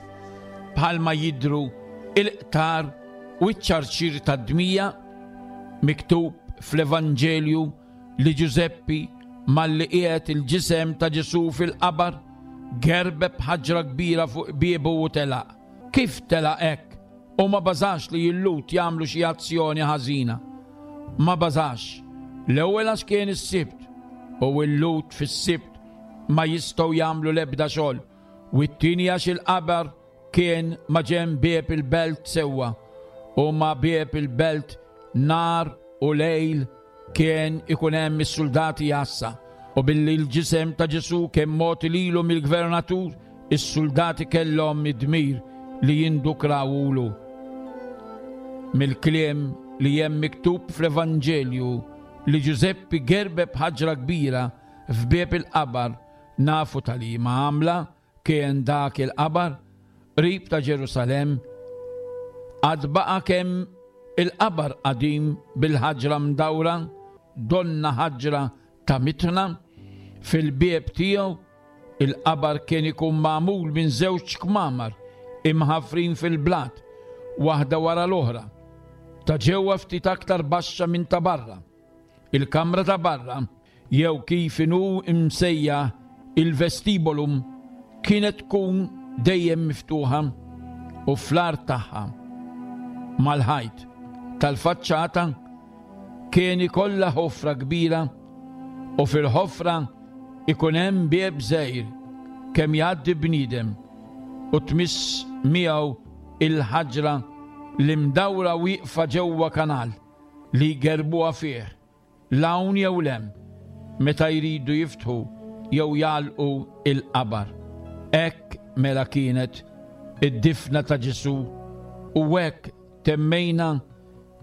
bħalma jidhru il-qtar u ċ-ċarċir tad-dmija. Miktub fl-Evanġelju li Ġużeppi malli qiegħed il-ġisem ta' Ġesù fil-qabar gerbeb ħaġra kbira fuq biebu u telaq. Kif telaq hekk u ma bażax li l-Lhud jagħmlu xi azzjoni ħażina? Ma bażax. L-ewwel għax kien is-Sibt u l-Lhud fis-Sibt ma jistgħu jagħmlu l-ebda xogħol, u t-tieni għax il-qabar kien ma ġenb bieb il-belt sewwa u ma bieb il-belt nar u lejl kien ikun hemm is-soldati jassa, u billi l-ġisem ta' Ġesù kien mogħti lilu mill-gvernatur, is-soldati kellhom id-dmir li jindukrawulu. Mill-kliem li hemm miktub fl-Evanġelju li Ġużeppi gerbeb ħaġra kbira f'bieb il-qabar, nafu tal-liema għamla kien dak il-qabar qrib ta' Ġerusalemm. Għad baqa' kemm il-qabar qadim bil-ħaġra mdawra, donna ħaġra ta' mitna, fil-bieb tiegħu. Il-qabar kien ikun magħmul minn żewġ kmamar imħafrin fil-blat, waħda wara l-oħra, ta' ġewwa ftit aktar baxxa minn ta' barra. Il-kamra ta' barra, jew kif inhu imsejjaħ il-vestibolum, kienet tkun dejjem miftuħa u fl-art tagħha mal-ħajt tal-faċċata kien ikollha ħofra kbira, u fil-ħofra ikun hemm bieb żgħir kemm jgħaddi bniedem u tmiss miegħu il-ħaġra li mdawra wieqfa ġewwa kanal li jgerbuha fih l-hawn jew l-hemm meta jridu jiftħu jew jagħlqu il-qabar. Hekk mela kienet id-difna ta' Ġesù, u hekk temmejna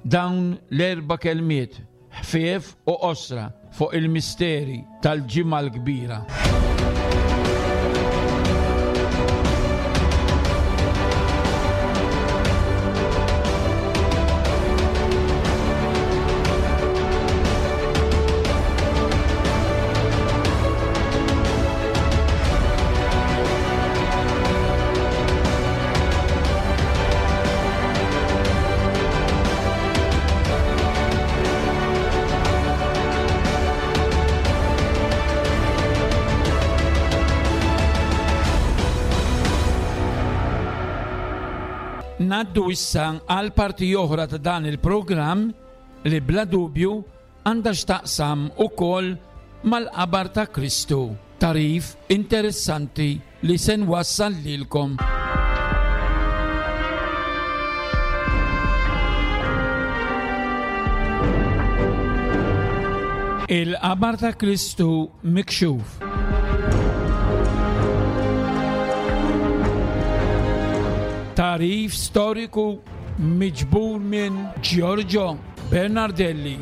dawn l-erba' kelmiet ħfief u qosra fuq il-misteri tal-Ġimgħa l-Kbira. Naddu issa għal parti oħra ta' dan il-programm li bla dubju għandha x'taqsam ukoll mal-qabar ta' Kristu. Tarif interessanti li se nwassal lilkom. Il-qabar ta' Kristu mikxuf. Tarif storiku miġbur minn Giorgio Bernardelli.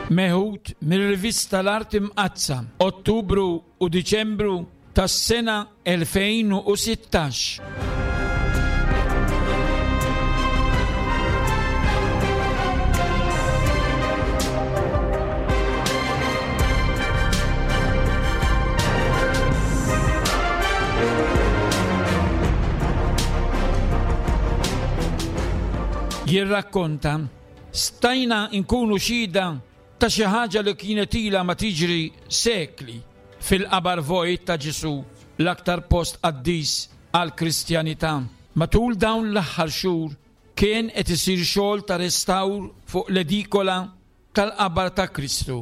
Meħud mir-rivista L-Arti Mqaddsa, Ottubru u Diċembru tas-sena elfejn u sittax. Jirrakkonta, stajna nkunu xhieda ta' xi ħaġa li kienet ilha ma tiġri sekli fil-qabar vojt ta' Ġesù, l-aktar post qaddis għall-Kristjanità. Matul dawn l-aħħar xhur kien qed isir xogħol ta' restawr fuq l-edikola tal-qabar ta' Kristu,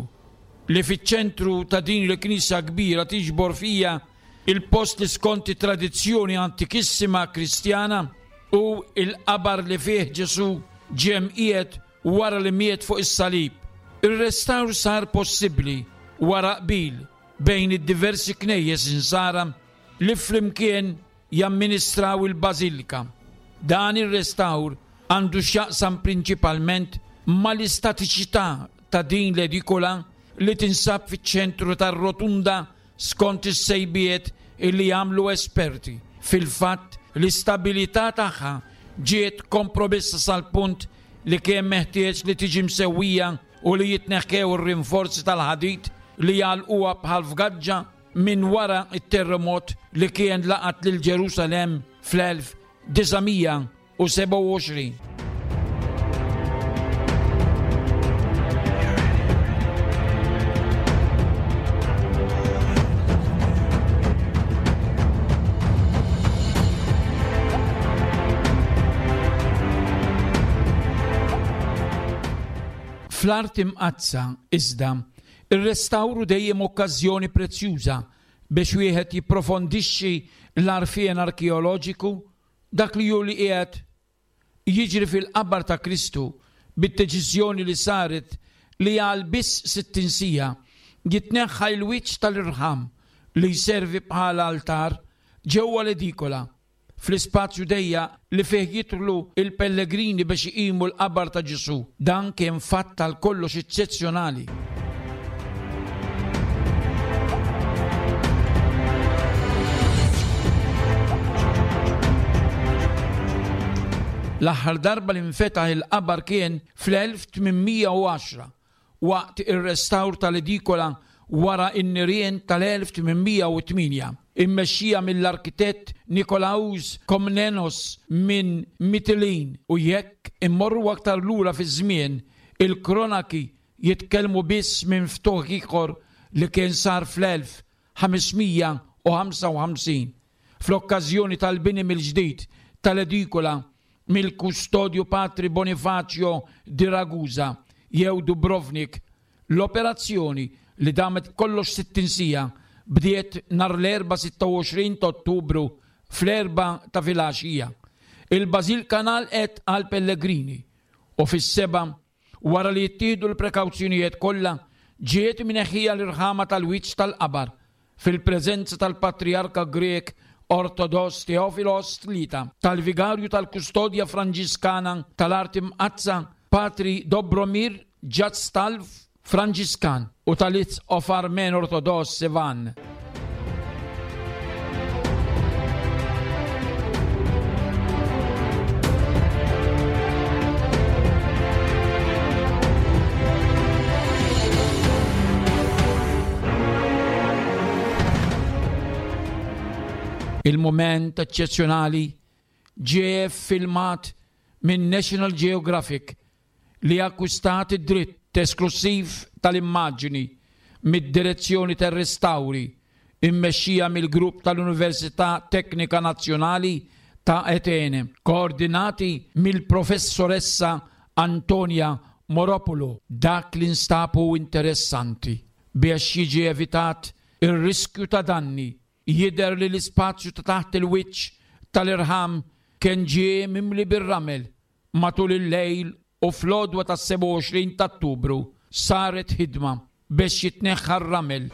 li fiċ-ċentru ta' din il-knisja kbira tiġbor fija il-post li skont it-tradizzjoni antikissima Kristjana u il-qabar li fih Ġesù ġie mqiegħed wara li miet fuq is-salib. Ir-restawr sar possibbli wara qbil bejn id-diversi knejjes insara li flimkien jamministraw il-bażilika. Dan ir-restawr għandu x'jaqsam prinċipalment mal-istatiċità ta' din l-edikola li tinsab fiċ-ċentru tar-rotunda skont is-sejbiet illi jagħmlu esperti. Fil-fatt, l-istabilità tagħha ġiet kompromessa sal-punt li kien meħtieġ li tiġi msewwija u li jitneħħew ir-rinforzi tal-ħadid li jagħlquha bħal fgaġġa minn wara t-terremot li kien laqat lil Ġerusalemm fl-elf disa' mija u sebgħa u għoxrin. Fl-Arti Mqaddsa, iżda, ir-restawru dejjem okkażjoni prezzjuża biex wieħed jipprofondixxi l-għarfien arkeoloġiku dak li hu li qiegħed jiġri fil-qabar ta' Kristu bid-deċiżjoni li saret li għal biss sittin siegħa jitneħħa l-wiċċ tal-irħam li jservi bħala altar ġewwa l-edikola fl-ispazju dejjaq li fih jidħlu il-pellegrini biex iqimu l-qabar ta' Ġesù. Dan kien fatt tal kollox eċċezzjonali. L-aħħar darba li nfetaħ il-qabar kien fl-elf tmien mija u għaxra waqt ir-restawr tal-edikola wara n-nirien tal-elf tmien mija u tmienja, immexxija mill-arkitett Nikolaus Komnenos minn Mitilin. U jekk immorru aktar lura fi żmien, il-kronaki jitkellmu biss minn ftuħ ieħor li kien sar fl-elf ħames mija u ħamsa u ħamsin fl-okkażjoni tal-bini mill-ġdid tal-edikola mill-kustodju Patri Bonifacio di Ragusa jew Dubrovnik. L-operazzjoni li damet kollox sittin siegħa bdiet nhar l-Erbgħa sitta u għoxrin ta' Ottubru fl-erbgħa ta' filgħaxija. Il-bażilka ngħalqet għal pellegrini u fis-sebgħa, wara li jittieħdu l-prekawzjonijiet kollha, ġiet mneħħija l-irħama tal-wiċċ tal-qabar fil-preżenza tal-Patriarka Grek Ortodoss Teofilos Tlieta, tal-Vigarju tal-Kustodja Franġiskana tal-Arti Mqaddsa Patri Dobromir Ġadstalv Franġiskan u tal-Isqof Armen Ortodoss Sevan. Il-moment eċċezzjonali ġie filmat minn National Geographic li akkwistat id-dritt esklusiv tal-immaġni mid-direzzjoni tar-restawri immexxija mill-grupp tal-Università Teknika Nazzjonali ta' Atene, koordinati mill-professoressa Antonia Moropoulo. Dak li nstab hu interessanti biex jiġi evitat ir-riskju ta' danni. Jidher li l-ispazju ta' taħt il-wiċċ tal-irħam kien ġie mimli bir-ramel matul il-lejl u fl-għodwa tas-sebgħa u għoxrin ta' Ottubru saret ħidma biex jitneħħa r-ramel.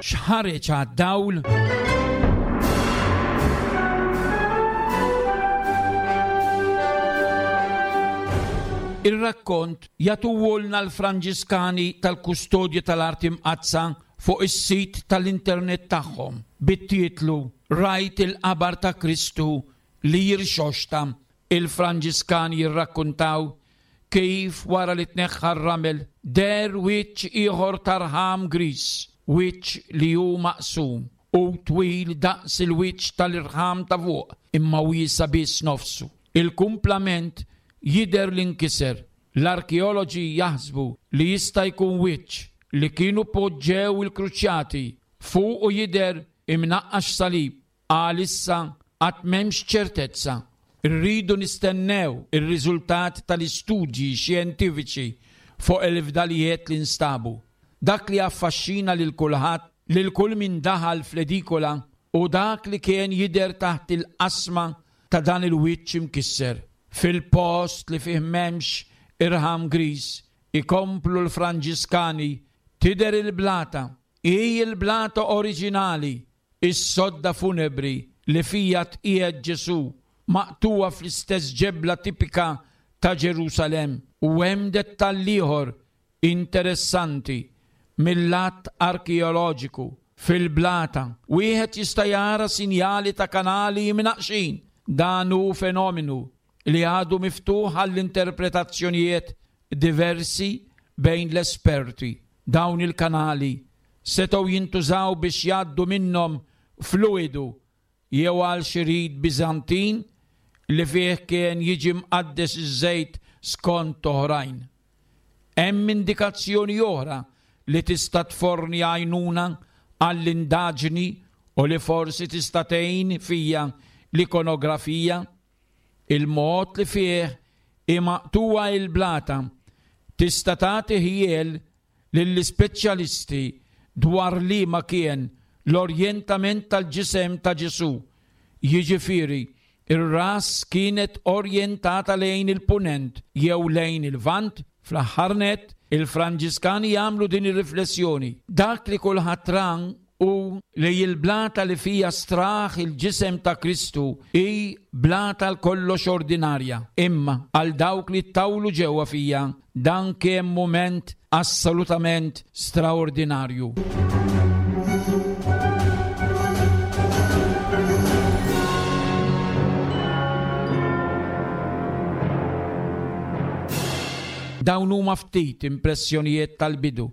X'ħareġ għad-dawl? Ir-rakkont jagħtuhulna l-Franġiskani tal-Kustodja tal-Arti Mqaddsa fuq is-sit tal-internet tagħhom bit-titlu Rajt il-qabar ta' Kristu li jirxoxta. Il-Franġiskani jirrakkontaw kif wara li tneħħa r-ramel deher wiċċ ieħor tarħam gris, wiċċ li hu maqsum u twil daqs il-wiċċ tal-irħam ta' fuq imma wiesa biss nofsu. Il-kumplament jidher li nkiser. L-arkeoloġi jaħsbu li jista' jkun wiċċ li kienu poġġew il-kruċjati fuq u jidher imnaqqax salib. Għalissa qatt m'hemmx ċertezza. Irridu nistennew ir-riżultat tal-istudji xjentifiċi fuq il-fdalijiet li nstabu. Dak li affaxxina lil kulħadd, lil kull min daħal fl-edikola, u dak li kien jidher taħt il-qasma ta' dan il-wiċċ imkisser. Fil-post li fih m'hemmx irħam gris, ikomplu l-Franġiskani, tidher il-blata, hi il-blata oriġinali, is-sodda funebri li fija tqiegħed Ġesù, maqtuwa fl-istess ġebla tipika ta' Ġerusalem. U hemm dettall ieħor interessanti mill-lat arkeoloġiku. Fil-blata wieħed jista' jara sinjali ta' kanali mnaqxin. Dan hu fenomenu li għadu miftuħ għall-interpretazzjonijiet diversi bejn l-esperti. Dawn il-kanali setgħu jintużaw biex jgħaddu minnhom fluidu jew għal xi rit Biżantin li fih kien jiġi mqaddes iż-żejt skont oħrajn. Hemm indikazzjoni oħra li tista' tforni għajnuna għall-indaġni u li forsi tista' tgħin fija l-ikonografija. Il-mod li fih imaqtuwa il-blata tista' tagħti ħjiel lill-ispeċjalisti dwar li ma kien l-orjentament tal-ġisem ta' Ġesù, jiġifieri Ir-ras kienet orjentata lejn il-punent jew lejn il-vant. Fl-aħħar nett, il-Franġiskani jagħmlu din ir-riflessjoni. Dak li kulħadd ra u li l-blata li fija straħ il-ġisem ta' Kristu hi blata l-kollox ordinarja. Imma għal dawk li tawlu ġewwa fija, dan kien mument assolutament straordinarju. Dawn huma ftit impressjonijiet tal-bidu,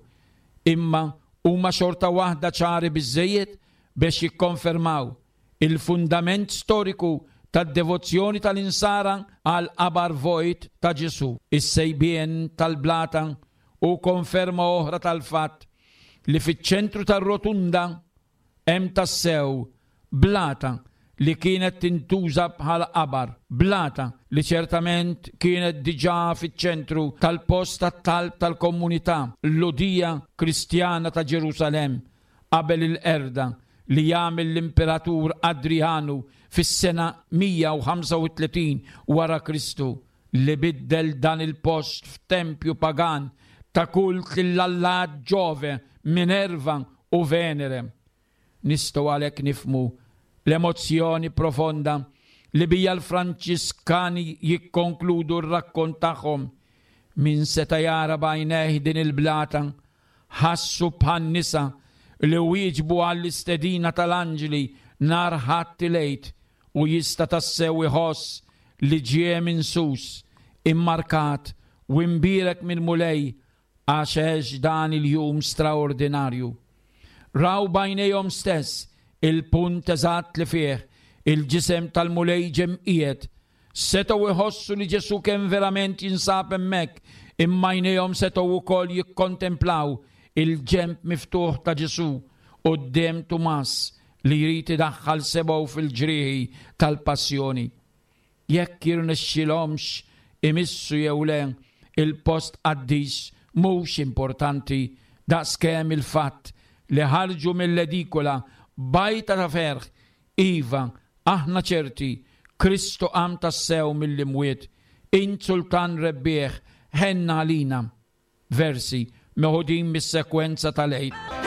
imma huma xorta waħda ċari biżżejjed biex jikkonfermaw il-fundament storiku tad-devozzjoni tal-insara għal qabar vojt ta' Ġesù. Is-sejbien tal-blata u konferma oħra tal-fatt li fiċ-ċentru tar-rotunda hemm tassew blata li kienet tintuża bħala qabar, blata li ċertament kienet diġà fiċ-ċentru tal-post tat-talb tal-komunità Lhudija Kristjana ta' Ġerusalemm qabel il-qerda li jagħmel l-Imperatur Adrianu fis-sena mija u ħamsa u tletin wara Kristu, li biddel dan il-post f'tempju pagan ta' kult lill-allat Ġove, Minerva u Venere. Nistgħu għalhekk nifhmu l-emozzjoni profonda li bija l-Franċiskani jikkonkludu r-rakkont tagħhom. Min seta' jara b'għajnejh din il-blata, ħassu bħan-nisa li wieġbu għall-istedina tal-anġli nhar Ħadd il-Għid u jista' tassew iħoss li ġie minn sus, immarkat u imbierek minn Mulej għax għex dan il-jum straordinarju. Raw b'għajnejhom stess il-punt eżatt li fih il-ġisem tal-Mulej ġie mqiegħed. Setgħu jħossu li Ġesù kien verament jinsab hemmhekk, imma għajnejhom setgħu wkoll jikkontemplaw il-ġenb miftuħ ta' Ġesù quddiem Tumas li jrid idaħħal sebgħu fil-ġrieħi tal-passjoni. Jekk jirnexxilhomx imissu jew le il-post qaddis mhux importanti daqskemm il-fatt li ħarġu mill-edikola bajta ta' ferħ. Iva, aħna ċerti, Kristu qam tassew mill-imwiet, int sultan rebbieħ, ħenna għalina. Versi meħudin mis-sekwenza tal-Għid.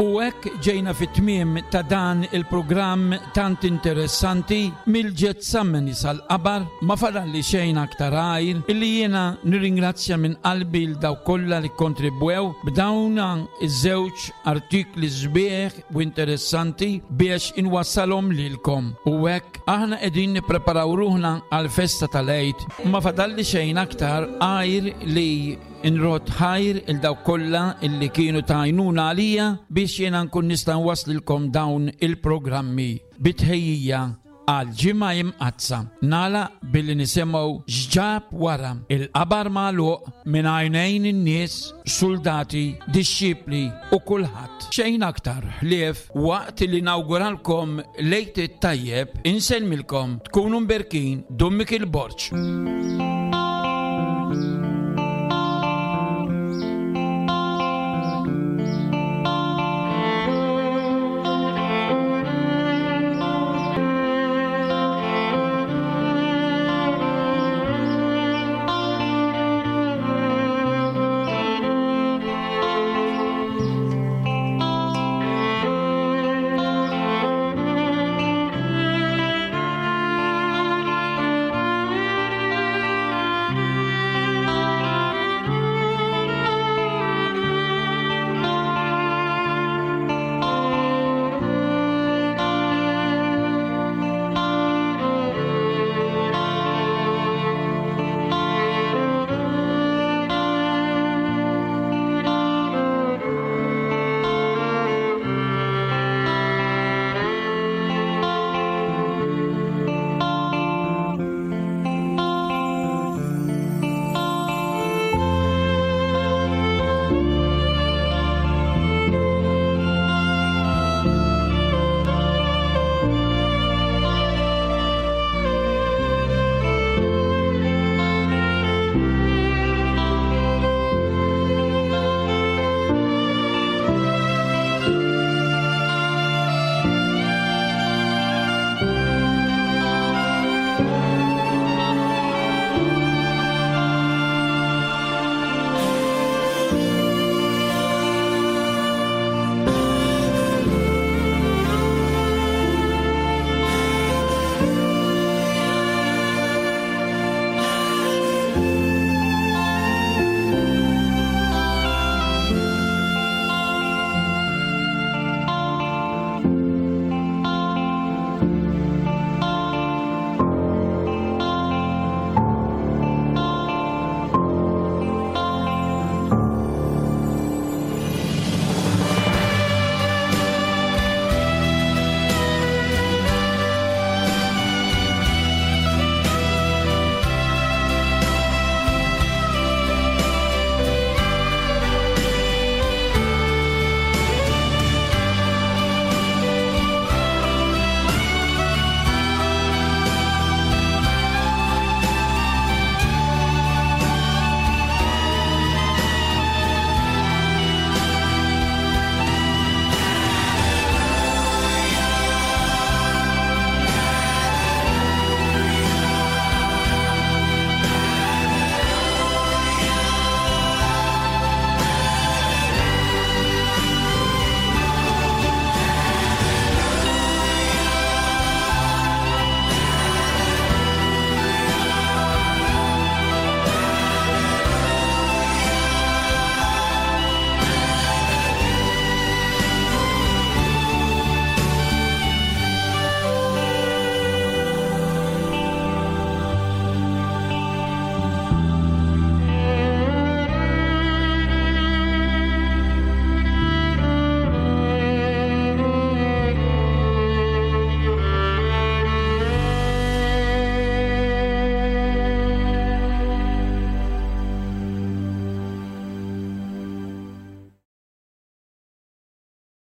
U hekk ġejna fit-tmiem ta' dan il-programm tant interessanti mill-Ġetsemani sal-qabar. Ma fadalli xejn aktar għajr illi jiena nirringrazzja minn qalbi l dawk kollha li kontribwew b'dawn iż-żewġ artikli sbieħ u interessanti biex inwassalhom lilkom. U hekk aħna qegħdin nippreparaw ruħna għall-festa tal-Għid. Ma fadalli xejn aktar għajr li nrod ħajr il dawk kollha illi kienu ta' għajnuna għalija biex jiena nkun nista' nwasslilkom dawn il-programmi bitħejjija għal ġimgħa imqaddsa. Nagħlaq billi nisimgħu x'ġab wara il-qabar magħluq minn għajnejn in-nies, soldati, dixxipli u kulħadd. Xejn aktar ħlief waqt li nawguralkom l-Għid it-tajjeb, insellmilkom, tkunu mberkin, Dun Mikiel Borg.